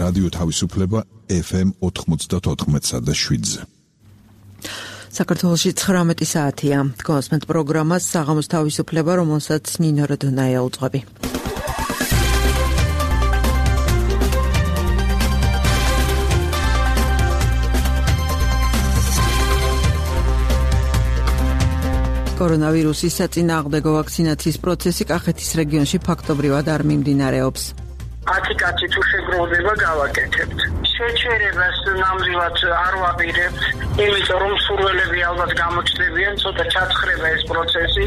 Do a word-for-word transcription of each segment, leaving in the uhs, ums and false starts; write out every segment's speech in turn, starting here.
რადიო თავისუფლება ეფ ემ ოთხმოცდაოთხ და შვიდზე. საქართველოში ცხრამეტი საათია. გონსმენთ პროგრამას საღამოს თავისუფლება, რომელსაც ნინო როდონაია უძღვები. კორონავირუსის საწინააღმდეგო ვაქცინაციის პროცესი კახეთის რეგიონში ფაქტობრივად არ მიმდინარეობს. ათი კაცი თუ შეგროვდება გავაკეთებთ. შეჩერებას ნამდვილად არ ვაპირებთ, იმიტომ რომ სურველები ალბათ გამოჩნდებიან, ცოტა ჩაცხრება ეს პროცესი.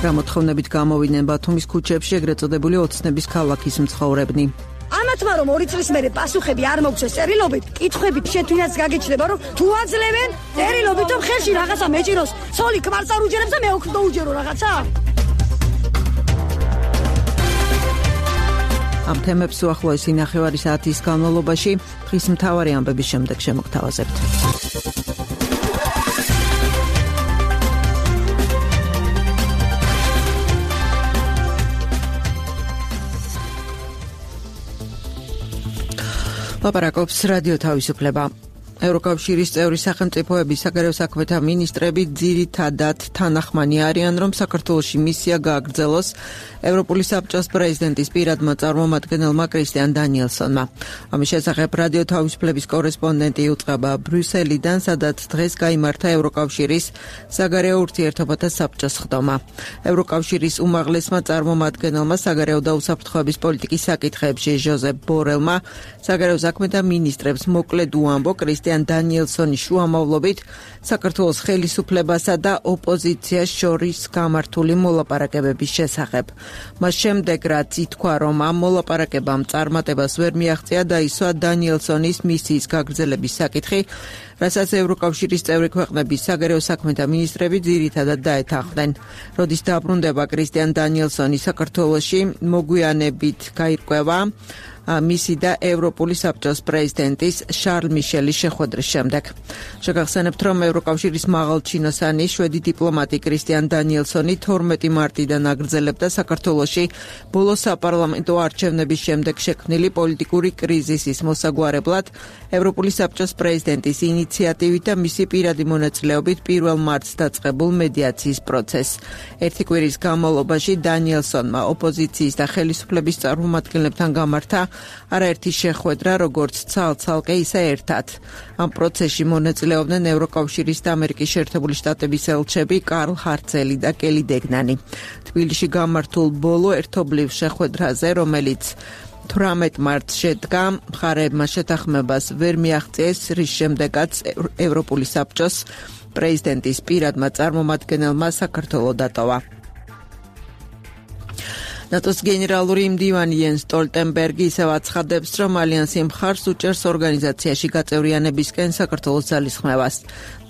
გამოთხოვნებით გამოვიდნენ ბათუმის ქუჩებში ეგრეთ წოდებული ოცნების ქალაქის მცხოვრებნი. ამათმა რომ ორი წლის მერე პასუხები არ მოგცეს წერილობით, კითხვებით შეთვინაც გაგეჩნდება, რომ თუ აძლევენ წერილობით, რომ ხელში რაღაცა მეჭიროს, ცოლი ქმარს არ უჯერებს და მე ოქრო უჯერო რაღაცა. ამ თემებს უახლოესი ნახევარი საათის განმავლობაში დღის მთავარი ამბების შემდეგ შემოგთავაზებთ. ლაპარაკობს რადიო თავისუფლება. ევროკავშირის წევრი სახელმწიფოების საგარეო საქმეთა მინისტრები ძირითადად თანახმანი არიან, რომ საქართველოში მისია გააგრძელოს ევროპული საბჭოს პრეზიდენტის პირადმა წარმომადგენელმა კრისტიან დანიელსონმა. ამის შესახებ რადიო თავისუფლების კორესპონდენტი იუწყება ბრიუსელიდან, სადაც დღეს გაიმართა ევროკავშირის საგარეო ურთიერთობათა საბჭოს ხდომა. ევროკავშირის უმაღლესმა წარმომადგენელმა საგარეო და უსაფრთხოების პოლიტიკის საკითხებში ჟოზეფ ბორელმა საგარეო საქმეთა მინისტრებს მოკლედ უამბო კრისტიან დანიელსონის შუამავლობით საქართველოს ხელისუფლებასა და ოპოზიციას შორის გამართული მოლაპარაკებების შესახებ. მას შემდეგ, რაც ითქვა, რომ ამ მოლაპარაკებამ წარმატებას ვერ მიაღწია, დაისვა დანიელსონის მისიის გაგრძელების საკითხი, რასაც ევროკავშირის წევრი ქვეყნების საგარეო საქმეთა მინისტრები ძირითადად დაეთანხმდნენ. როდის დაბრუნდება კრისტიან დანიელსონი საქართველოში, მოგვიანებით გაირკვევა მისი და ევროპული საბჭოს პრეზიდენტის შარლ მიშელის შეხვედრის შემდეგ. შეგახსენებთ, რომ ევროკავშირის მაღალჩინოსანი შვედი დიპლომატი კრისტიან დანიელსონი თორმეტი მარტიდან აგრძელებდა საქართველოში ბოლო საპარლამენტო არჩევნების შემდეგ შექმნილი პოლიტიკური კრიზისის მოსაგვარებლად ევროპული საბჭოს პრეზიდენტის ინიციატივით და მისი პირადი მონაწილეობით პირველ მარტს დაწყებულ მედიაციის პროცესს. ერთი კვირის განმავლობაში დანიელსონმა ოპოზიციის და ხელისუფლების წარმომადგენლებთან გამართა არაერთი შეხვედრა, როგორც ცალ-ცალკე, ისე ერთად. ამ პროცესში მონაწილეობდნენ ევროკავშირის და ამერიკის შეერთებული შტატების ელჩები კარლ ჰარცელი და კელი დეგნანი. თბილისში გამართულ ბოლო ერთობლივ შეხვედრაზე, რომელიც თვრამეტ მარტს შედგა, მხარეებმა შეთანხმებას ვერ მიაღწიეს, რის შემდეგაც ევროპული საბჭოს პრეზიდენტის პირადმა წარმომადგენელმა საქართველო დატოვა. ნატოს გენერალური მდივანი იენს სტოლტენბერგი ისევ აცხადებს, რომ ალიანსი მხარს უჭერს ორგანიზაციაში გაწევრიანებისკენ საქართველოს ძალისხმევას.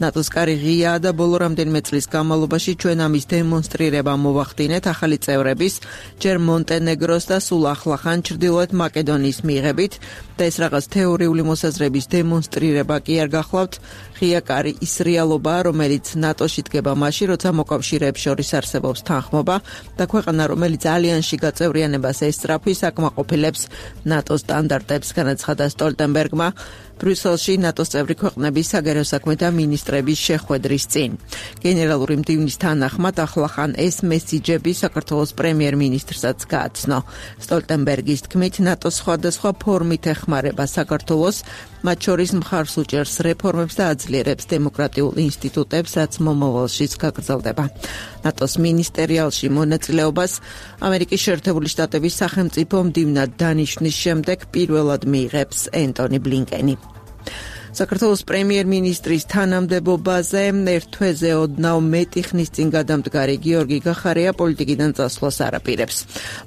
ნატოს კარი ღიაა და ბოლო რამდენიმე წლის განმავლობაში ჩვენ ამის დემონსტრირება მოვახდინეთ ახალი წევრების, ჯერ მონტენეგროს და სულ ახლახან ჩრდილოეთ მაკედონიის მიღებით და ეს რაღაც თეორიული მოსაზრების დემონსტრირება კი არ გახლავთ. ღია კარი ის რეალობაა, რომელიც ნატოში დგება მაშინ, როცა მოკავშირეებს შორის არსებობს თანხმობა და ქვეყანა, რომელიც ალიანსში გაწევრიანებას ესწრაფვის აკმაყოფილებს ნატოს სტანდარტებს, განაცხადა სტოლტენბერგმა ბრიუსელში ნატოს წევრი ქვეყნების საგარეო საქმეთა მინისტრების შეხვედრის წინ. გენერალური მდივნის თანახმად ახლახან ეს მესიჯები საქართველოს პრემიერ-მინისტრსაც გააცნო. სტოლტენბერგის თქმით, ნატოს სხვადასხვა ფორმით ეხმარება საქართველოს, მათ შორის მხარს უჭერს რეფორმებს და აძლიერებს დემოკრატიულ ინსტიტუტებს, რაც მომავალშიც გაგრძელდება. ნატოს მინისტერიალში მონაწილეობას ამერიკის შეერთებული შტატების სახელმწიფო მდივნად დანიშვნის შემდეგ პირველად მიიღებს ენტონი ბლინკენი. საქართველოს პრემიერ-მინისტრის თანამდებობაზე ერთ თვეზე ოდნავ მეტი ხნის წინ გადამდგარი გიორგი გახარია პოლიტიკიდან წასვლას არაპირებს.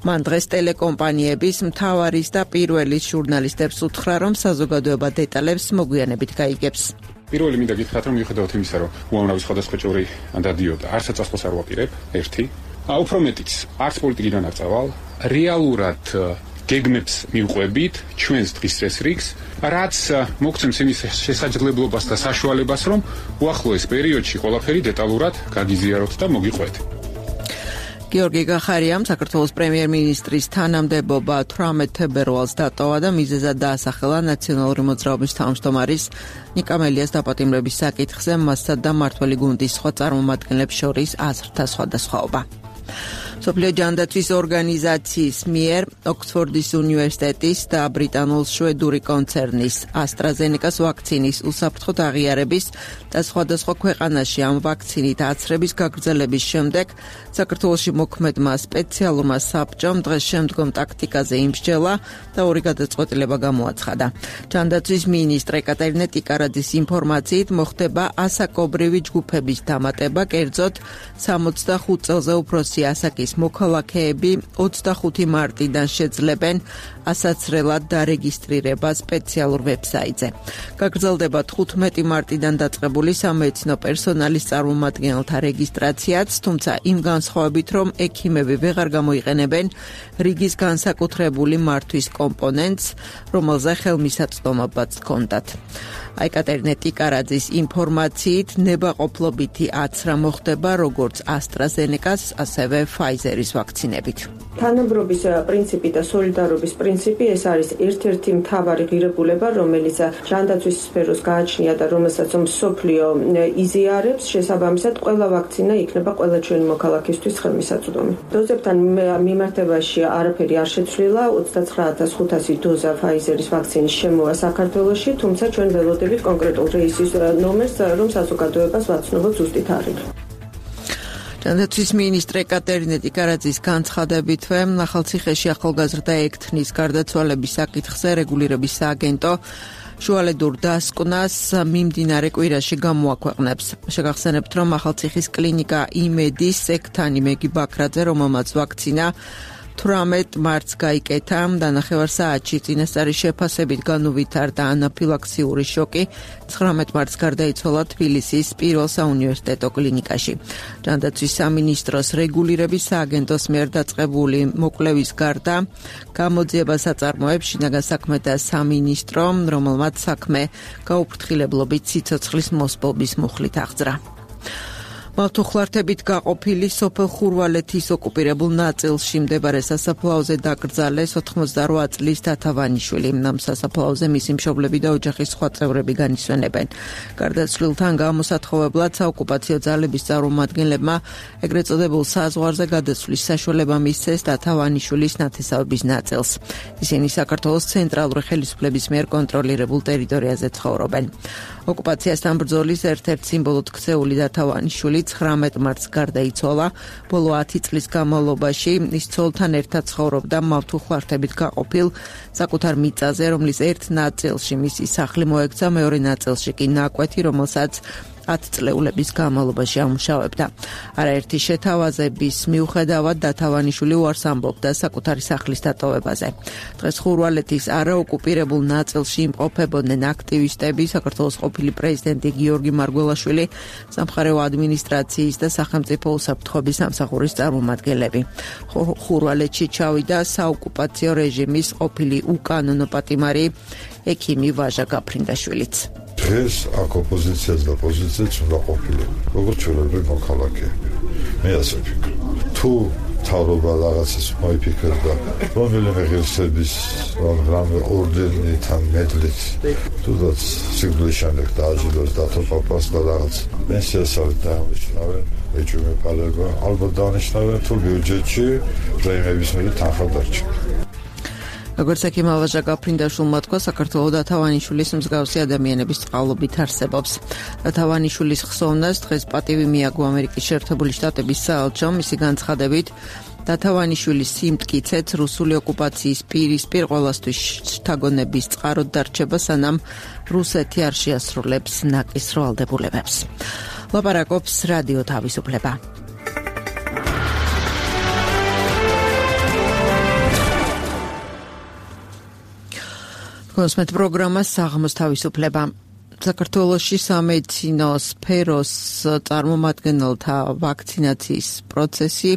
მან დღეს ტელეკომპანიების მთავარის და პირველის ჟურნალისტებს უთხრა, რომ საზოგადოება დეტალებს მოგვიანებით გაიგებს. პირველი მინდა გითხრათ, რომ მიუხედავად იმისა, რომ უამრავი სხვადასხვა ჭორი დადიოდა, არც წასვლას არ ვაპირებ, ერთი. უფრო მეტიც, არც პოლიტიკიდან არ წავალ, რეალურად გეგმებს მივყვებით ჩვენს დღის წესრიგს, რაც მოგცემს იმის შესაძლებლობას და საშუალებას, რომ უახლოეს პერიოდში ყველაფერი დეტალურად გაგიზიაროთ და მოგიყვეთ. გიორგი გახარიამ საქართველოს პრემიერ-მინისტრის თანამდებობა თვრამეტ თებერვალს დატოვა და მიზეზად დაასახელა ნაციონალური მოძრაობის თავმჯდომარის ნიკა მელიას დაპატიმრების საკითხზე მასსა და მმართველი გუნდის სხვა წარმომადგენლებს შორის აზრთა სხვადასხვაობა. სოფლიო ჯანდაცვის ორგანიზაციის მიერ ოქსფორდის უნივერსიტეტის და ბრიტანულ-შვედური კონცერნის AstraZeneca-ს ვაქცინის უსაფრთხოდ აღიარების და სხვადასხვა ქვეყანაში ამ ვაქცინით აცრების გაგრძელების შემდეგ საქართველოში მოქმედმა სპეციალურმა საბჭომ დღეს შემდგომ ტაქტიკაზე იმსჯელა და ორი გადაწყვეტილება გამოაცხადა. ჯანდაცვის მინისტრ ეკატერინე ტიკარაძის ინფორმაციით მოხდება ასაკობრივი ჯგუფების დამატება, კერძოდ სამოცდახუთ წელზე უფროსი ასაკის მოქალაქეები ოცდახუთი მარტიდან შეძლებენ ასაცრელად დარეგისტრირება სპეციალურ ვებსაიტზე. გაგრძელდება თხუთმეტი მარტიდან დაწყებული სამედიცინო პერსონალის წარმომადგენელთა რეგისტრაციაც, თუმცა იმ განსხვავებით, რომ ექიმები ვეღარ გამოიყენებენ რიგის განსაკუთრებული მართვის კომპონენტს, რომელზე ხელმისაწვდომობაც ჰქონდათ. ეკატერინე ტიკარაძის ინფორმაციით ნებაყოფლობითი აცრა მოხდება როგორც AstraZeneca-ს, ასევე Pfizer-ის ვაქცინებით. თანაბრობის პრინციპი და სოლიდარობის პრინციპი ეს არის ერთ-ერთი მთავარი ღირებულება, რომელიც ჯანდაცვის სფეროს გააჩნია და რომელსაც მსოფლიო იზიარებს, შესაბამისად ყველა ვაქცინა იქნება ყველა ჩვენი მოქალაქისთვის ხელმისაწვდომი. დოზებთან მიმართებაში არაფერი არ შეცვლილა, ოცდაცხრა ათას ხუთასი დოზა Pfizer-ის ვაქცინის შემოვა საქართველოში, თუმცა ჩვენ ველოდებით კონკრეტულ რეისის ნომერს, რომ საზოგადოებას ვაცნობოთ ზუსტი თარიღი. ჯანდაცვის მინისტრ ეკატერინე ტიკარაძის განცხადებითვე ახალციხეში ახალგაზრდა ექთნის გარდაცვალების საკითხზე რეგულირების სააგენტო შუალედურ დასკვნას მიმდინარე კვირაში გამოაქვეყნებს. შეგახსენებთ, რომ ახალციხის კლინიკა იმედის ექთანი მეგი ბაქრაძე, რომელმაც ვაქცინა თვრამეტ მარტს გაიკეთა, დანახევარ საათში წინასწარი შეფასებით განუვითარდა ანაფილაქსიური შოკი, ცხრამეტ მარტს გარდაიცვალა თბილისის პირველ საუნივერსიტეტო კლინიკაში. ჯანდაცვის სამინისტროს რეგულირების სააგენტოს მიერ დაწყებული მოკვლევის გარდა გამოძიებას აწარმოებს შინაგან საქმეთა სამინისტრო, რომელმაც საქმე გაუფრთხილებლობით სიცოცხლის მოსპობის მუხლით აღძრა. მავთუხლართებით გაყოფილი სოფელ ხურვალეთის ოკუპირებულ ნაწილში მდებარე სასაფლაოზე დაკრძალეს ოთხმოცდარვა წლის თათავანიშვილი. ამ სასაფლაოზე მისი მშობლები და ოჯახის სხვა წევრები განისვენებენ. გარდაცვლილთან გამოსათხოვებლად საოკუპაციო ძალების წარმომადგენლებმა ეგრეთ წოდებულ საზღვარზე გადაცვლის საშუალება მისცეს თათავანიშვილის ნათესავების ნაწილს. ისინი საქართველოს ცენტრალური ხელისუფლების მიერ კონტროლირებულ ტერიტორიაზე ცხოვრობენ. ოკუპაციასთან ბრძოლის ერთ-ერთ სიმბოლოდ ქცეული თათავანიშვილი ცხრამეტ მარტს გარდაიცვალა. ბოლო ათი წლის განმავლობაში ის ცოლთან ერთად ცხოვრობდა მავთუხლართებით გაყოფილ საკუთარ მიწაზე, რომლის ერთ ნაწილში მისი სახლი მოექცა, მეორე ნაწილში კი ნაკვეთი, რომელსაც ათწლეულების განმავლობაში ამუშავებდა. არაერთი შეთავაზების მიუხედავად თათავანიშვილი უარს ამბობდა საკუთარი სახლის დატოვებაზე. დღეს ხურვალეთის არაოკუპირებულ ნაწილში იმყოფებოდნენ აქტივისტები, საქართველოს ყოფილი პრეზიდენტი გიორგი მარგველაშვილი, სამხარეო ადმინისტრაციის და სახელმწიფო უსაფრთხოების სამსახურის წარმომადგენლები. ხურვალეთში ჩავიდა საოკუპაციო რეჟიმის ყოფილი უკანონო პატიმარი ექიმი ვაჟა გაფრინდაშვილიც. დღეს აქ ოპოზიციაც და პოზიციაც უნდა ყოფილიყო, როგორც ჩვენებრივი მოქალაქეები. მე ასე ვფიქრობ. თუ თავრობა რაღაცას მოიფიქრებდა, რომელიმე ღირსების რამე ორდენით ან მედლით, თუნდაც სიკვდილის შემდეგ დააჯილდოს დათო პაპას და რაღაც პენსიას არ დანიშნავენ, ეჭვმე პალება, ალბათ დანიშნავენ თუ ბიუჯეტში პრემიების მიერ თანხა დარჩა. როგორც ექიმ ვაჟა გაფრინდაშვილმა თქვა, საქართველო თათავანიშვილის მსგავსი ადამიანების წყალობით არსებობს. თათავანიშვილის ხსოვნას დღეს პატივი მიაგო ამერიკის შეერთებული შტატების საელჩომ, მისი განცხადებით თათავანიშვილის სიმტკიცეც რუსული ოკუპაციის პირისპირ ყოველასთვის შთაგონების წყაროდ დარჩება, სანამ რუსეთი არ შეასრულებს ნაკის ვალდებულებებს. ლაპარაკობს რადიო თავისუფლება. კონსმეთ პროგრამა საღამოს თავისუფლება. საქართველოში სამედიცინო სფეროს წარმომადგენელთა ვაქცინაციის პროცესი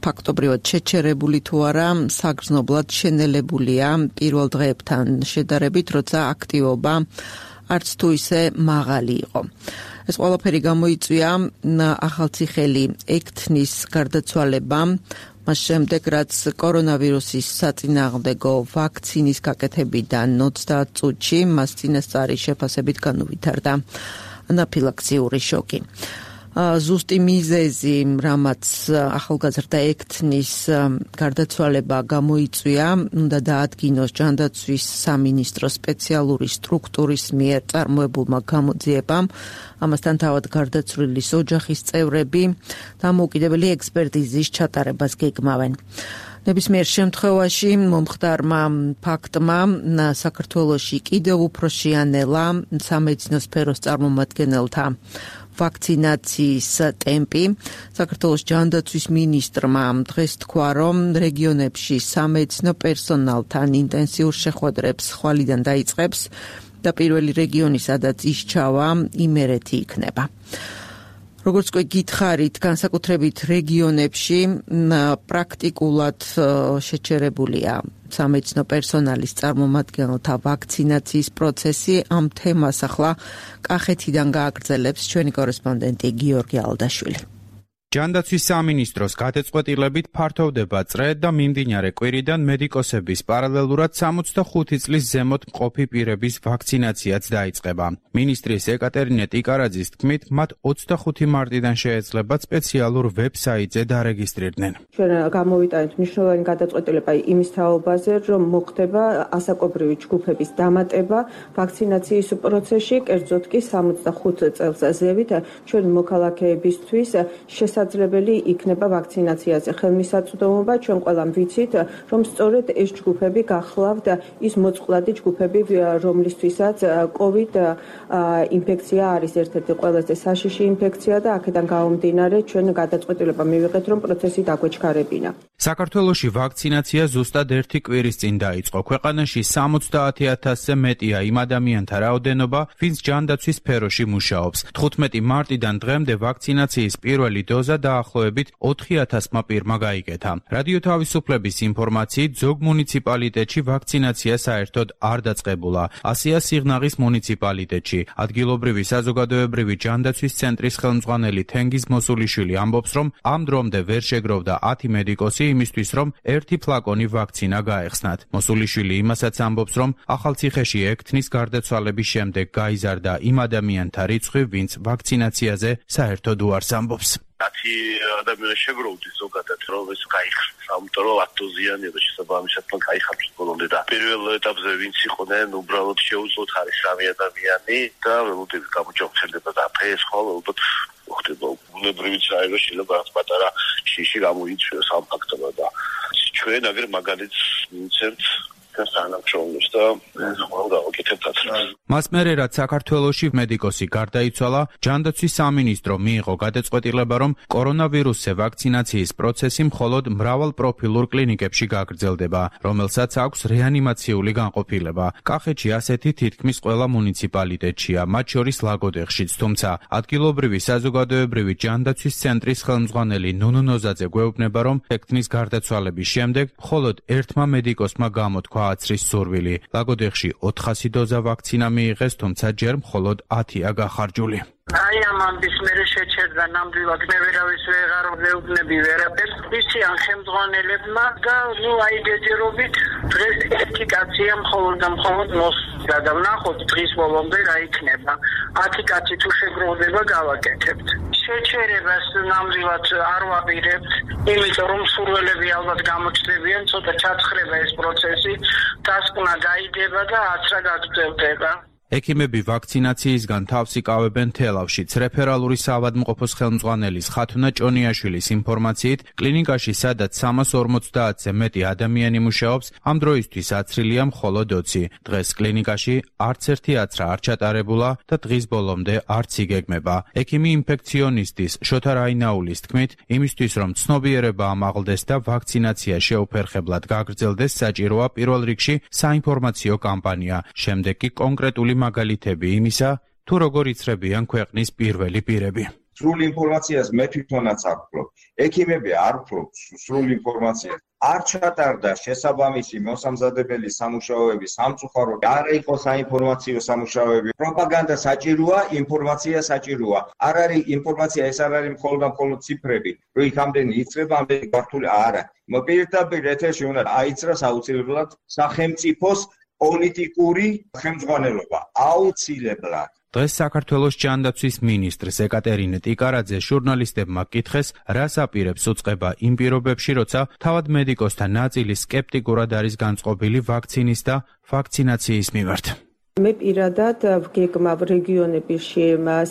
ფაქტობრივად შეჩერებული თუ არა, საგრძნობლად შენელებულია პირველ დღეებთან შედარებით, როცა აქტივობა არც თუ ისე მაღალი იყო. ეს ყველაფერი გამოიწვია ახალციხელი ექთნის გარდაცვალებამ, მას შემდეგ რაც კორონავირუსის საწინააღმდეგო ვაქცინის გაკეთებიდან ოცდაათ წუთში მას წინასწარი შეფასებით განუვითარდა ანაფილაქსიური შოკი. ზუსტი მიზეზი, რამაც ახალგაზრდა ექთნის გარდაცვალება გამოიწვია, უნდა დაადგინოს ჯანდაცვის სამინისტროს სპეციალური სტრუქტურის მიერ წარმოებულმა გამოძიებამ, ამასთან თავად გარდაცვლილის ოჯახის წევრები დამოუკიდებელი ექსპერტიზის ჩატარებას გეგმავენ. ნებისმიერ შემთხვევაში მომხდარმა ფაქტმა საქართველოში კიდევ უფრო შეანელა სამედიცინო სფეროს წარმომადგენელთა ვაქცინაციის ტემპი. საქართველოს ჯანდაცვის მინისტრმა დღეს თქვა, რომ რეგიონებში სამედიცინო პერსონალთან ინტენსიურ შეხვედრებს ხვალიდან დაიწყებს და პირველი რეგიონი, სადაც ისჩავა, იმერეთი იქნება. როგორც კი გითხარით, განსაკუთრებით რეგიონებში პრაქტიკულად შეჩერებულია სამედიცინო პერსონალის წარმომადგენელთა ვაქცინაციის პროცესი. ამ თემას ახლა კახეთიდან გააგრძელებს ჩვენი კორესპონდენტი გიორგი ალდაშვილი. ჯანდაცვის სამინისტროს გადაწყვეტილებით ფართოვდება წრე და მიმდინარე კვირიდან მედიკოსების პარალელურად სამოცდახუთი წლის ზემოთ მყოფი პირების ვაქცინაციაც დაიწყება. მინისტრის ეკატერინე ტიკარაძის თქმით, მათ ოცდახუთი მარტიდან შეეძლებათ სპეციალურ ვებსაიტზე დარეგისტრირდნენ. ჩვენ გამოვიტანეთ მნიშვნელოვანი გადაწყვეტილება იმის თაობაზე, რომ მოხდება ასაკობრივი ჯგუფების დამატება ვაქცინაციის პროცესში, კერძოდ კი სამოცდახუთ წელს ზევით ჩვენ მოქალაქეებისთვის შესაძლებელი იქნება ვაქცინაციაზე ხელმისაწვდომობა. ჩვენ ყველამ ვიცით, რომ სწორედ ეს ჯგუფები გახლავთ ის მოწყვლადი ჯგუფები, რომლისთვისაც COVID ინფექცია არის ერთ-ერთი ყველაზე საშიში ინფექცია და აქედან გამომდინარე ჩვენ გადაწყვეტილება მივიღეთ, რომ პროცესი დაგვეჩქარებინა. საქართველოში ვაქცინაცია ზუსტად ერთი კვირის წინ დაიწყო. ქვეყანაში სამოცდაათი ათასზე მეტია იმ ადამიანთა რაოდენობა, ვინც ჯანდაცვის სფეროში მუშაობს. თხუთმეტი მარტიდან დღემდე ვაქცინაციის პირველი დოზა დაახლოებით ოთხი ათასმა პირმა გაიკეთა. რადიო თავისუფლების ინფორმაციით, ზოგ მუნიციპალიტეტში ვაქცინაცია საერთოდ არ დაწყებულა. ასია სიღნაღის მუნიციპალიტეტში ადგილობრივი საზოგადოებრივი ჯანდაცვის ცენტრის ხელმძღვანელი თენგიზ მოსულიშვილი ამბობს, რომ ამ დრომდე ვერ შეგროვდა ათი მედიკოსი იმისთვის, რომ ერთი ფლაკონი ვაქცინა გაეხსნათ. მოსულიშვილი იმასაც ამბობს, რომ ახალციხეში ექთნის გარდაცვალების შემდეგ გაიზარდა იმ ადამიანთა რიცხვი, ვინც ვაქცინაციაზე საერთოდ უარს ამბობს. ათი ადამიანი შეგროვდის ზოგადად, რომ ეს გაიხსნას, ამიტომ რომ ათი დოზიანი და შესაბამისად გაიხსნას ბოლომდე და პირველ ეტაპზე ვინც იყვნენ, უბრალოდ შეუძლოთ არის სამი ადამიანი და ველოდებით გამოჯანმრთელდება და ეს ხოლმე ალბათ ხდება ბუნებრივი წაიღო შეიძლება რაღაც პატარა შიში გამოიწვიოს ამ ფაქტორმა და ჩვენ აგერ მაგალითს ვინცერთ განსანახულოს და ხომ გავაკეთებთ. მას მერე რაც საქართველოში მედიკოსი გარდაიცვალა, ჯანდაცვის სამინისტრო მიიღო გადაწყვეტილება, რომ კორონავირუსზე ვაქცინაციის პროცესი მხოლოდ მრავალპროფილურ კლინიკებში გაგრძელდება, რომელსაც აქვს რეანიმაციული განყოფილება. კახეთში ასეთი თითქმის ყველა მუნიციპალიტეტშია, მათ შორის ლაგოდეხშიც, თუმცა ადგილობრივი საზოგადოებრივი ჯანდაცვის ცენტრის ხელმძღვანელი ნუნუ ნოზაძე გვეუბნება, რომ ექთნის გარდაცვალების შემდეგ მხოლოდ ერთმა მედიკოსმა გამოთქვა აცრის სურვილი. ლაგოდეხში ოთხასი დოზა ვაქცინა მიიღეს, თუმცა ჯერ მხოლოდ ათია გახარჯული. აი ამ ამბის მერე შეჩერდა ნამდვილად მე ვერავის ვეღარ ვეუბნები ვერაფერს ისიან ხელმძღვანელებმა და ნუ აი ჯერჯერობით დღეს ერთი კაცია მხოლოდ და მხოლოდ მოსვლა და ვნახოთ დღის ბოლომდე რა იქნება. ათი კაცი თუ შეგროვდება გავაკეთებთ. შეჩერებას ნამდვილად არ ვაპირებთ, იმიტომ რომ სურველები ალბათ გამოჩნდებიან, ცოტა ჩაცხრება ეს პროცესი, დასკვნა გაიდება და აცრა გაგრძელდება. ექიმები ვაქცინაციისგან თავს იკავებენ თელავშიც. რეფერალური საავადმყოფოს ხელმძღვანელის ხათუნა ჭონიაშვილის ინფორმაციით, კლინიკაში სადაც სამას ორმოცდაათზე მეტი ადამიანი მუშაობს, ამ დროისთვის აცრილია მხოლოდ ოცი. დღეს კლინიკაში არც ერთი აცრა არ ჩატარებულა და დღის ბოლომდე არც იგეგმება. ექიმი ინფექციონისტის შოთა რაინაულის თქმით, იმისთვის რომ ცნობიერება ამაღლდეს და ვაქცინაცია შეუფერხებლად გაგრძელდეს, საჭიროა პირველ რიგში საინფორმაციო კამპანია, შემდეგ კი კონკრეტული მაგალითები იმისა, თუ როგორ იცრებიან ქვეყნის პირველი პირები. სრულ ინფორმაციას მე თვითონაც არ ვფლობ. ექიმები არ ვფლობთ სრულ ინფორმაციას. არ ჩატარდა შესაბამისი მოსამზადებელი სამუშაოები სამწუხაროდ, არ იყო საინფორმაციო სამუშაოები. პროპაგანდა საჭიროა, ინფორმაცია საჭიროა. არ არის ინფორმაცია, ეს არ არის მხოლოდ და მხოლოდ ციფრები. რომ იქ ამდენი იწება, ამდენი გართული არა. მოპირდაპირ ეთერში უნდა აიცრას აუცილებლად სახელმწიფოს პოლიტიკური ხელმძღვანელობა. აუცილებლად. დღეს საქართველოს ჯანდაცვის მინისტრს ეკატერინე ტიკარაძე ჟურნალისტებმა კითხეს, რას აპირებს უწყება იმ პირობებში, როცა თავად მედიკოსთა ნაწილი სკეპტიკურად არის განწყობილი ვაქცინის და ვაქცინაციის მიმართ. მე პირადად ვგეგმავ რეგიონებში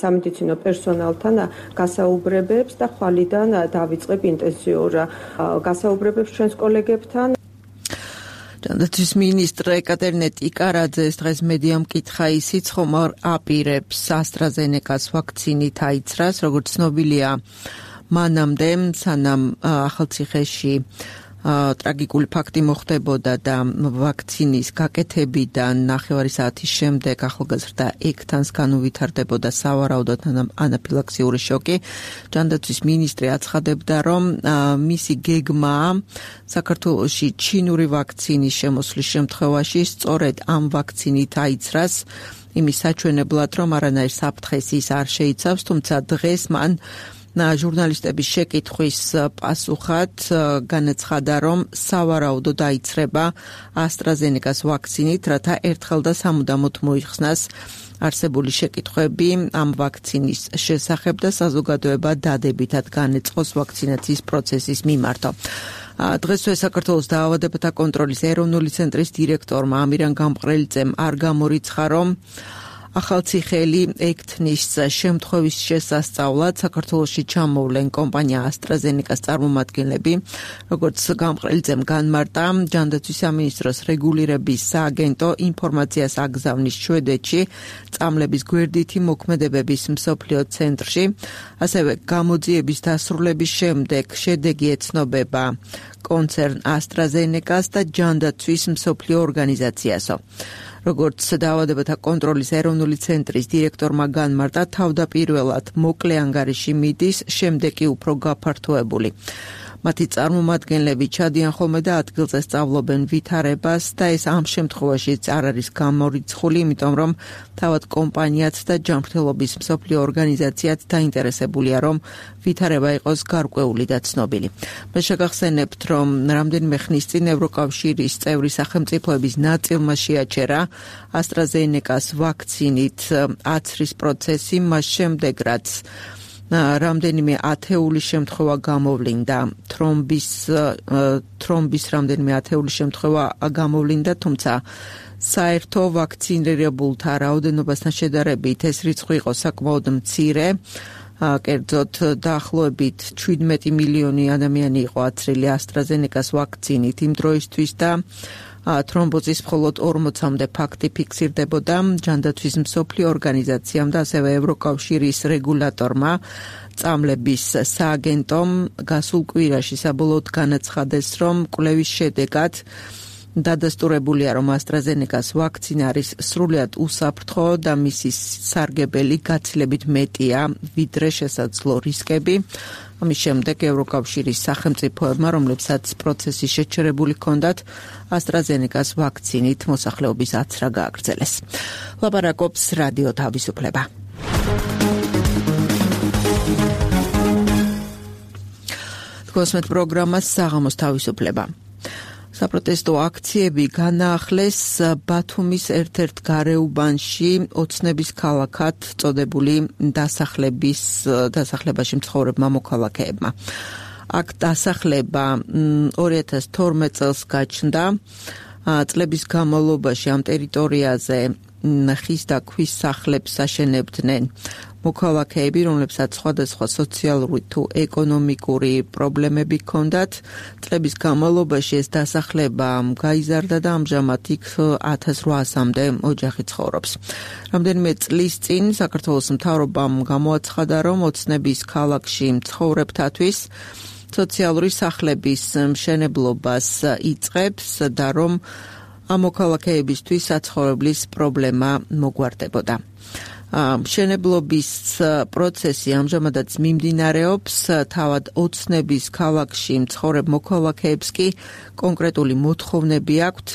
სამედიცინო პერსონალთან გასაუბრებებს და ხვალიდან დავიწყებ ინტენსიურ გასაუბრებებს ჩვენს კოლეგებთან. ჯანდაცვის მინისტრ ეკატერინე ტიკარაძეს დღეს მედიამ კითხა ისიც, ხომ არ აპირებს AstraZeneca-ს ვაქცინით აიცრას, როგორც ცნობილია, მანამდე, სანამ ახალციხეში ტრაგიკული ფაქტი მოხდებოდა და ვაქცინის გაკეთებიდან ნახევარი საათის შემდეგ ახალგაზრდა ექთანს განუვითარდებოდა სავარაუდოდ ანაფილაქსიური შოკი. ჯანდაცვის მინისტრი აცხადებდა, რომ მისი გეგმაა საქართველოში ჩინური ვაქცინის შემოსვლის შემთხვევაში სწორედ ამ ვაქცინით აიცრას, იმის საჩვენებლად, რომ არანაირ საფრთხეს ის არ შეიცავს, თუმცა დღეს მან ჟურნალისტების შეკითხვის პასუხად განაცხადა, რომ სავარაუდოდ აიცრება AstraZeneca-ს ვაქცინით, რათა ერთხელ და სამუდამოდ მოიხსნას არსებული შეკითხვები ამ ვაქცინის შესახებ და საზოგადოება დადებითად განეწყოს ვაქცინაციის პროცესის მიმართო. დღესვე საქართველოს დაავადებათა კონტროლის ეროვნული ცენტრის დირექტორმა ამირან გამყრელიძემ არ გამორიცხა, რომ ახალციხელი ექთნის შემთხვევის შესასწავლად საქართველოში ჩამოვლენ კომპანია AstraZeneca-ს წარმომადგენლები, როგორც გამყრელიძემ განმარტა, ჯანდაცვის სამინისტროს რეგულირების სააგენტო ინფორმაციას აგზავნის შვედეთში წამლების გვერდითი მოქმედებების მსოფლიო ცენტრში, ასევე გამოძიების დასრულების შემდეგ შედეგი ეცნობება კონცერნ AstraZeneca-ს და ჯანდაცვის მსოფლიო ორგანიზაციასო. როგორც დაავადებათა კონტროლის ეროვნული ცენტრის დირექტორმა განმარტა, თავდაპირველად მოკლე ანგარიში მიდის, შემდეგ კი უფრო გაფართოებული. მათი წარმომადგენლები ჩადიან ხოლმე და ადგილზე სწავლობენ ვითარებას და ეს ამ შემთხვევაშიც არ არის გამორიცხული, იმიტომ რომ თავად კომპანიაც და ჯანმრთელობის მსოფლიო ორგანიზაციაც დაინტერესებულია, რომ ვითარება იყოს გარკვეული და ცნობილი. მე შეგახსენებთ, რომ რამდენიმე ხნის წინ ევროკავშირის წევრი სახელმწიფოების ნაწილმა შეაჩერა AstraZeneca-ს ვაქცინით აცრის პროცესი, მას შემდეგ რაც რამდენიმე ათეული შემთხვევა გამოვლინდა, თრომბის თრომბის რამდენიმე ათეული შემთხვევა გამოვლინდა, თუმცა საერთო ვაქცინირებულთა რაოდენობასთან შედარებით ეს რიცხვი იყო საკმაოდ მცირე. კერძოდ დაახლოებით შვიდმეტი მილიონი ადამიანი იყო აცრილი AstraZeneca-ს ვაქცინით იმ დროისთვის და თრომბოზის მხოლოდ ორმოცამდე ფაქტი ფიქსირდებოდა. ჯანდაცვის მსოფლიო ორგანიზაციამ და ასევე ევროკავშირის რეგულატორმა წამლების სააგენტომ გასულ კვირაში საბოლოოდ განაცხადეს, რომ კვლევის შედეგად დადასტურებულია, რომ AstraZeneca-ს ვაქცინა არის სრულიად უსაფრთხო და მისი სარგებელი გაცილებით მეტია, ვიდრე შესაძლო რისკები. ამის შემდეგ ევროკავშირის სახელმწიფოებმა, რომლებსაც პროცესი შეჩერებული ჰქონდათ, AstraZeneca-ს ვაქცინით მოსახლეობის აცრა გააგრძელეს. ლაპარაკობს რადიო თავისუფლება. გოსმეთ პროგრამას საღამოს თავისუფლება. საპროტესტო აქციები განაახლეს ბათუმის ერთ-ერთ გარეუბანში ოცნების ქალაქად წოდებული დასახლების დასახლებაში მცხოვრებმა მოქალაქეებმა. აქ დასახლება ორი ათას თორმეტ წელს გაჩნდა. წლების განმავლობაში ამ ტერიტორიაზე ხის და ქვის სახლებს აშენებდნენ მოქალაქეები, რომლებსაც სხვადასხვა სოციალური თუ ეკონომიკური პრობლემები ჰქონდათ. წლების განმავლობაში ეს დასახლება გაიზარდა და ამჟამად იქ ათას რვაასამდე ოჯახი ცხოვრობს. რამდენიმე წლის წინ საქართველოს მთავრობამ გამოაცხადა, რომ ოცნების ქალაქში მცხოვრებთათვის სოციალური სახლების მშენებლობას იწყებს და რომ ამ მოქალაქეებისთვის საცხოვრებლის პრობლემა მოგვარდებოდა. მშენებლობის პროცესი ამჟამადაც მიმდინარეობს, თავად ოცნების ქალაქში მცხოვრებ მოქალაქეებს კი კონკრეტული მოთხოვნები აქვთ.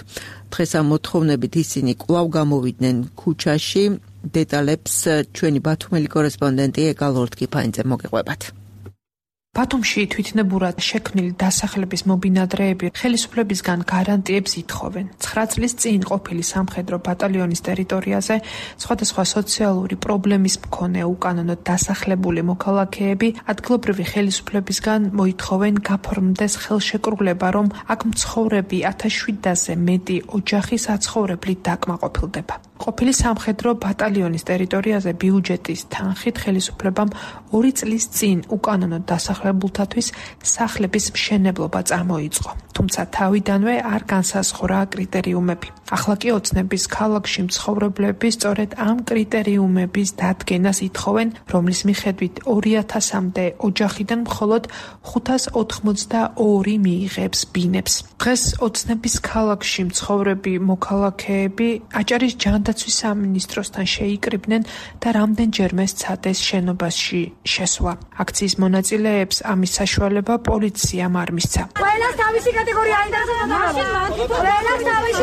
დღეს ამ მოთხოვნებით ისინი კვლავ გამოვიდნენ ქუჩაში. დეტალებს ჩვენი ბათუმელი კორესპონდენტი ეკალორდ კიფაინძე მოგეყვებათ. ბათუმში თვითნებურად შექმნილი დასახლების მობინადრეები ხელისუფლებისგან გარანტიებს ითხოვენ. ცხრა წლის წინ ყოფილი სამხედრო ბატალიონის ტერიტორიაზე სხვადასხვა სოციალური პრობლემის მქონე უკანონოდ დასახლებული მოქალაქეები ადგილობრივი ხელისუფლებისგან მოითხოვენ გაფორმდეს ხელშეკრულება, რომ აქ მცხოვრები ათას შვიდასზე მეტი ოჯახი საცხოვრებლით დაკმაყოფილდება. ყოფილი სამხედრო ბატალიონის ტერიტორიაზე ბიუჯეტის თანხით ხელისუფლებამ ორი წლის წინ უკანონოდ დასახლებულთათვის სახლების მშენებლობა წამოიწყო. თუმცა თავიდანვე არ განსაზღვრა კრიტერიუმები. ახლა კი ოცნების ქალაქში მცხოვრებლები სწორედ ამ კრიტერიუმების დადგენას ითხოვენ, რომლის მიხედვით ორი ათასამდე ოჯახიდან მხოლოდ ხუთას ოთხმოცდაორი მიიღებს ბინებს. დღეს ოცნების ქალაქში მცხოვრები მოქალაქეები აჭარის ჯანდაცვის სამინისტროსთან შეიკრიბნენ და რამდენჯერმე სცადეს შენობაში შესვლა. აქციის მონაწილეებს ამის საშუალება პოლიციამ არ მისცა. ყველას თავისი კატეგორია აინტერესებდა. ყველას თავისი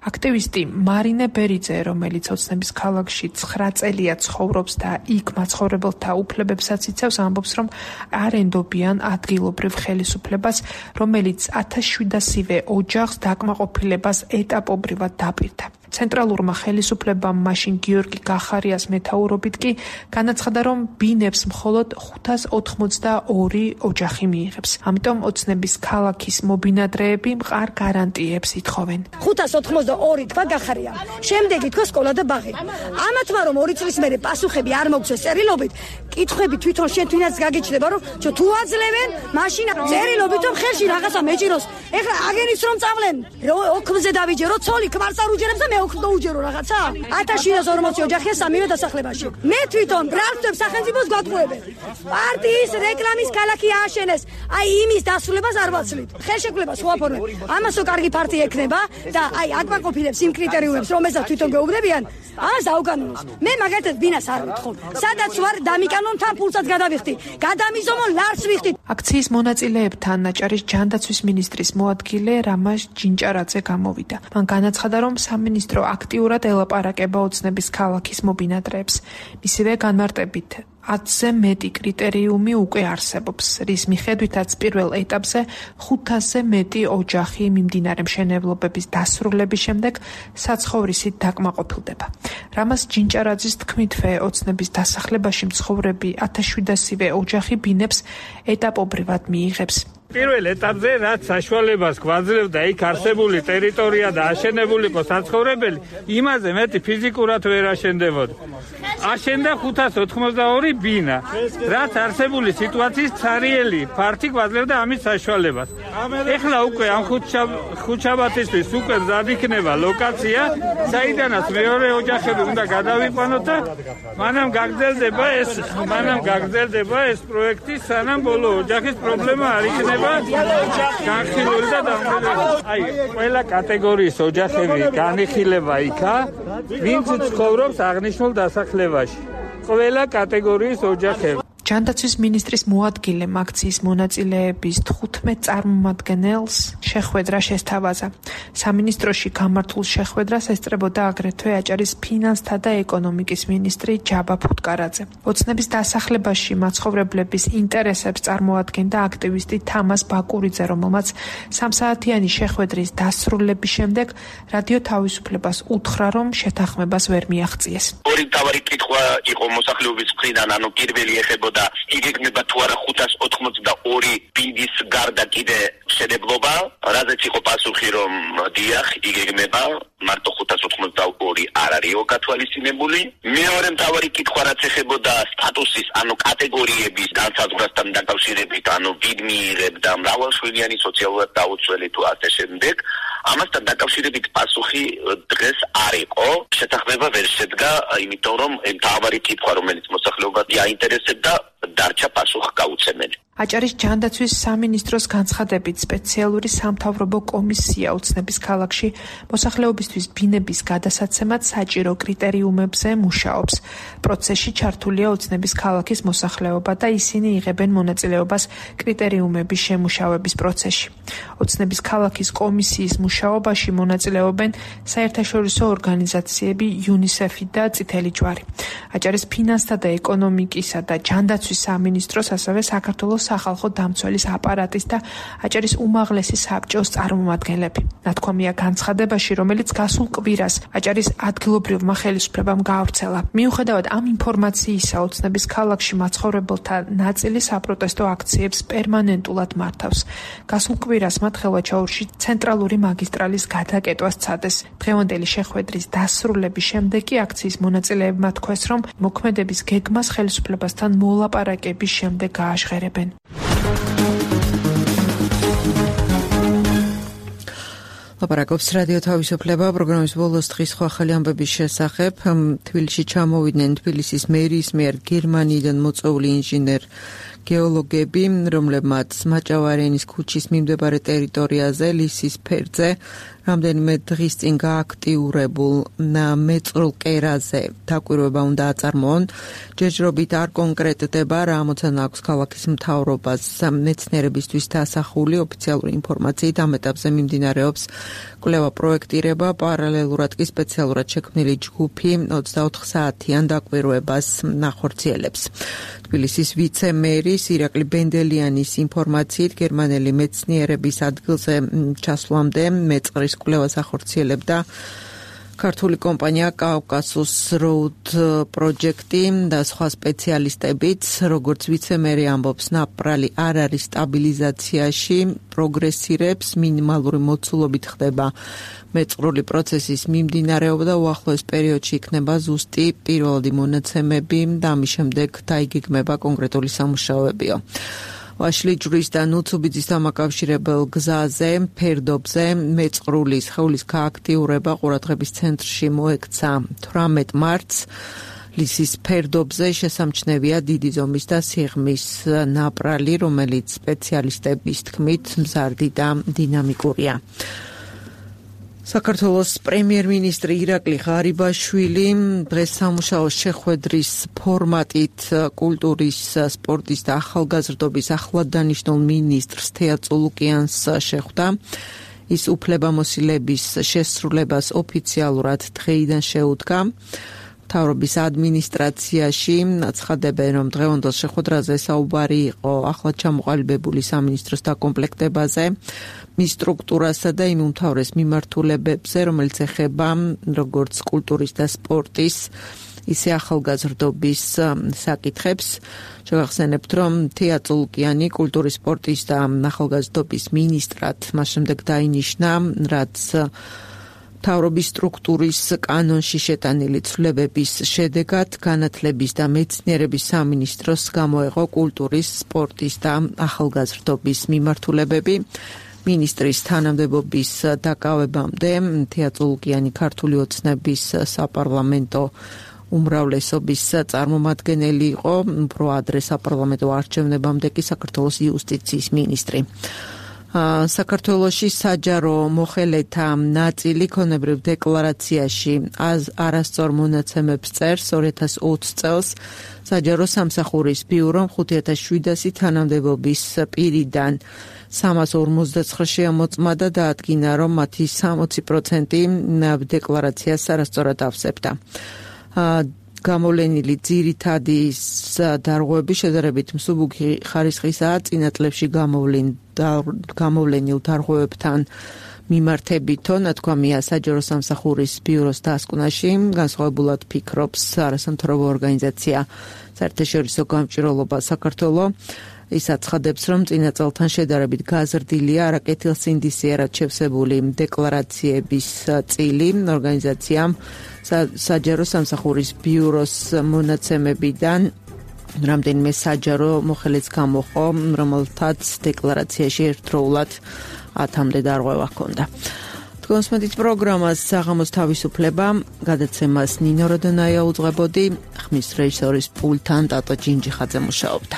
აქტივისტი მარინე ბერიძე, რომელიც ოცნების ქალაქში ცხრა წელია ცხოვრობს და იქ მაცხოვრებელთა უფლებებსაც იცავს, ამბობს, რომ არ ენდობიან ადგილობრივ ხელისუფლებას, რომელიც ათას შვიდასივე ოჯახს დაკმაყოფილებას ეტაპობრივად დაპირდა. ცენტრალურმა ხელისუფლებამ მაშინ გიორგი გახარიას მეთაურობით კი განაცხადა, რომ ბინებს მხოლოდ ხუთას ოთხმოცდაორი ოჯახი მიიღებს. ამიტომ ოცნების ქალაქის მობინადრეები მყარ გარანტიებს ითხოვენ. ხუთას ოთხმოცდაორი თქვა გახარია. შემდეგი თქვა სკოლა და ბაღი. ამათმა რომ ორი წლის მერე პასუხები არ მოგცეს წერილობით, კითხვები თვითონ შენ თვითონაც გაგიჩნდება, რომ თუ აძლევენ, მაშინ წერილობით რომ ხელში რაღაცა მეჭიროს. ეხლა აგენის რომ წავლენ, ოქმზე დავიჯერო, ცოლი ქმარს არ უჯერებს და მე ოქმს დაუჯერო რაღაცა. ათას შვიდას ორმოცი ოჯახია სამივე დასახლებაში. მე თვითონ ბრალდებ სახელმწიფოს გვატყუებენ. პარტიის რეკლამის ქალაქი ააშენეს. აი იმის დასრულებას არ ვაცლით. ხელშეკრულება სხვა ფორმები. ამასო კარგი პარტია ექნება და აი აკმაყოფილებს იმ კრიტერიუმებს, რომელსაც თვითონ გეუბნებიან, ამას დაუკანონოს. მე მაგათაც ბინას არ ვთხოვ. სადაც ვარ დამიკანონ თან ფულსაც გადავიხდი. გადამიზომო ლარს ვიხდი. აქციის მონაწილეებთან აჭარის ჯანდაცვის მინისტრის მოადგილე რამაზ ჯინჭარაძე გამოვიდა. მან განაცხადა, რომ სამინისტრო აქტიურად ელაპარაკება ოცნების ქალაქის მობინადრეებს. მისივე განმარტებით ათზე მეტი კრიტერიუმი უკვე არსებობს, რის მიხედვითაც პირველ ეტაპზე ხუთასზე მეტი ოჯახი მიმდინარე მშენებლობების დასრულების შემდეგ საცხოვრისით დაკმაყოფილდება. რამაზ ჯინჭარაძის თქმითვე ოცნების დასახლებაში მცხოვრები ათას შვიდასივე ოჯახი ბინებს ეტაპობრივად მიიღებს. პირველ ეტაპზე რაც საშუალებას გვაძლევდა იქ არსებული ტერიტორია და აშენებული იყო საცხოვრებელი, იმაზე მეტი ფიზიკურად ვერ აშენდებოდა. აშენდა ხუთას ოთხმოცდაორი ბინა, რაც არსებული სიტუაციის ცარიელი ფართი გვაძლევდა ამის საშუალებას. ეხლა უკვე ამ ხუთშაბათისთვის უკვე მზად იქნება ლოკაცია, საიდანაც მეორე ოჯახები უნდა გადავიყვანოთ და მანამ გაგრძელდება ეს, მანამ გაგრძელდება ეს პროექტი, სანამ ბოლო ოჯახის პრობლემა არ იქნება. განხილული და დამკვიდრებული. აი, ყველა კატეგორიის ოჯახები განიხილება იქა, ვინც ცხოვრობს აღნიშნულ დასახლებაში. ყველა კატეგორიის ოჯახები. ჯანდაცვის მინისტრის მოადგილემ აქციის მონაწილეების თხუთმეტ წარმომადგენელს შეხვედრა შესთავაზა. სამინისტროში გამართულ შეხვედრას ესწრებოდა აგრეთვე აჭარის ფინანსთა და ეკონომიკის მინისტრი ჯაბა ფუტკარაძე. ოცნების დასახლებაში მაცხოვრებლების ინტერესებს წარმოადგენდა აქტივისტი თამას ბაკურიძე, რომელმაც სამსაათიანი შეხვედრის დასრულების შემდეგ რადიო თავისუფლებას უთხრა, რომ შეთანხმებას ვერ მიაღწიეს. ორი მთავარი კითხვა იყო მოსახლეობის მხრიდან, ანუ პირველი ეხება და იგეგმება თუ არა ხუთას ოთხმოცდაორი ბინის გარდა კიდე მშენებლობა, რაზეც იყო პასუხი, რომ დიახ, იგეგმება, მარტო ხუთას ოთხმოცდაორი არ არისო გათვალისწინებული. მეორე მთავარი კითხვა რაც ეხებოდა სტატუსის, ანუ კატეგორიების განსაზღვრასთან დაკავშირებით, ანუ ვინ მიიღებდა მრავალშვილიანი სოციალურად დაუცველი თუ ასე შემდეგ, ამასთან დაკავშირებით პასუხი დღეს არ იყო. შეთანხმება ვერ შედგა, იმიტომ რომ მთავარი კითხვა, რომელიც მოსახლეობას აინტერესებდა, დარჩა პასუხ გაუცემელი. აჭარის ჯანდაცვის სამინისტროს განცხადებით სპეციალური სამთავრობო კომისია ოცნების ქალაქში მოსახლეობისთვის ბინების გადასაცემად საჭირო კრიტერიუმებზე მუშაობს. პროცესში ჩართულია ოცნების ქალაქის მოსახლეობა და ისინი იღებენ მონაწილეობას კრიტერიუმების შემუშავების პროცესში. ოცნების ქალაქის კომისიის მუშაობაში მონაწილეობენ საერთაშორისო ორგანიზაციები იუნისეფი და წითელი ჯვარი. აჭარის ფინანსთა და ეკონომიკისა და ჯანდაცვის სამინისტროს, ასევე საქართველოს სახალხო დამცველის აპარატის და აჭარის უმაღლესი საბჭოს წარმომადგენლები. ნათქვამია განცხადებაში, რომელიც გასულ კვირას აჭარის ადგილობრივმა ხელისუფლებამ გაავრცელა. მიუხედავად ამ ინფორმაციისა, ოცნების ქალაქში მაცხოვრებელთა ნაწილი საპროტესტო აქციებს პერმანენტულად მართავს. გასულ კვირას მათ ხელვაჩაურში ცენტრალური მაგისტრალის გადაკეტვა სცადეს. დღევანდელი შეხვედრის დასრულების შემდეგ კი აქციის მონაწილეებმა თქვეს, რომ მოქმედების გეგმას ხელისუფლებასთან მოლაპარაკების შემდეგ გააჟღერებენ. ლაპარაკობს რადიო თავისუფლება პროგრამის ბოლოს დღის ახალი ამბების შესახებ. თბილისში ჩამოვიდნენ თბილისის მერიის მიერ გერმანიიდან მოწვეული ინჟინერ გეოლოგები, რომლებმაც მაჭავარიანის ქუჩის მიმდებარე ტერიტორიაზე ლისის ფერზე რამდენიმე დღის წინ გააქტიურებულ მეწრულ კერაზე დაკვირვება უნდა აწარმოონ. ჯერჯერობით არ კონკრეტდება რა ამოცანა აქვს ქალაქის მთავრობას მეცნიერებისთვის დასახული ოფიციალური ინფორმაციით. ამ ეტაპზე მიმდინარეობს კვლევა პროექტირება, პარალელურად კი სპეციალურად შექმნილი ჯგუფი ოცდაოთხ საათიან დაკვირვებას ნახორციელებს. თბილისის ვიცე-მერის ირაკლი ბენდელიანის ინფორმაციით, გერმანელი მეცნიერების ადგილზე ჩასვლამდე მეწყრის კვლევას ახორციელებდა ქართული კომპანია კავკასუს როუდ პროჯექტი და სხვა სპეციალისტებიც. როგორც ვიცე-მერი ამბობს, ნაპრალი არ არის სტაბილიზაციაში, პროგრესირებს, მინიმალური მოცულობით ხდება მეწყრული პროცესის მიმდინარეობა და უახლოეს პერიოდში იქნება ზუსტი პირველადი მონაცემები და ამის შემდეგ დაიგეგმება კონკრეტული სამუშაოებიო. ვაშლი ჯვრის და ნუცუბიძის დამაკავშირებელ გზაზე, ფერდობზე მეწყრული სხეულის გააქტიურება ყურადღების ცენტრში მოექცა თვრამეტ მარტს. ლისის ფერდობზე შესამჩნევია დიდი ზომის და სიღრმის ნაპრალი, რომელიც სპეციალისტების თქმით მზარდი და დინამიკურია. საქართველოს პრემიერ-მინისტრი ირაკლი ღარიბაშვილი დღეს სამუშაო შეხვედრის ფორმატით კულტურის, სპორტის და ახალგაზრდობის ახლად დანიშნულ მინისტრს თეა წულუკიანს შეხვდა. ის უფლებამოსილების შესრულებას ოფიციალურად დღეიდან შეუდგა. მთავრობის ადმინისტრაციაში აცხადებენ, რომ დღევანდელ შეხვედრაზე საუბარი იყო ახლად ჩამოყალიბებული სამინისტროს დაკომპლექტებაზე, მის სტრუქტურასა და იმ უმთავრეს მიმართულებებზე, რომელიც ეხება როგორც კულტურის და სპორტის, ისე ახალგაზრდობის საკითხებს. შევახსენებთ, რომ თეა წულუკიანი კულტურის, სპორტის და ახალგაზრდობის მინისტრად მას შემდეგ დაინიშნა, რაც მთავრობის სტრუქტურის კანონში შეტანილი ცვლილებების შედეგად განათლების და მეცნიერების სამინისტროს გამოეღო კულტურის, სპორტის და ახალგაზრდობის მიმართულებები. მინისტრის თანამდებობის დაკავებამდე თეა წულუკიანი ქართული ოცნების საპარლამენტო უმრავლესობის წარმომადგენელი იყო, უფრო ადრე საპარლამენტო არჩევნებამდე კი საქართველოს იუსტიციის მინისტრი. საქართველოში საჯარო მოხელეთა ნაწილი ქონებრივ დეკლარაციაში არასწორ მონაცემებს წერს. ორი ათას ოცი წელს საჯარო სამსახურის ბიურომ ხუთი ათას შვიდასი თანამდებობის პირიდან სამას ორმოცდაცხრა შეამოწმა და დაადგინა, რომ მათი სამოცი პროცენტი დეკლარაციას არასწორად ავსებდა. გამოვლენილი ძირითადი დარღვევები შედარებით მსუბუქი ხარისხისაა. წინა წლებში გამოვლენილ დარღვევებთან მიმართებითო, ნათქვამია საჯარო სამსახურის ბიუროს დასკვნაში, განსხვავებულად ფიქრობს არასამთავრობო ორგანიზაცია საერთაშორისო გამჭვირვალობა საქართველო. ის აცხადებს, რომ წინა წელთან შედარებით გაზრდილია არაკეთილსინდისიერად შევსებული დეკლარაციების წილი. ორგანიზაციამ საჯარო სამსახურის ბიუროს მონაცემებიდან რამდენიმე საჯარო მოხელეც გამოყო, რომელთაც დეკლარაციაში ერთდროულად ათამდე დარღვევა ჰქონდა. თქვენსმენთ პროგრამას საღამოს თავისუფლება, გადაცემას ნინო როდონაია უძღვებოდი, ხმის რეჟისორის პულტთან ტატო ჯინჯიხაძე მუშაობდა.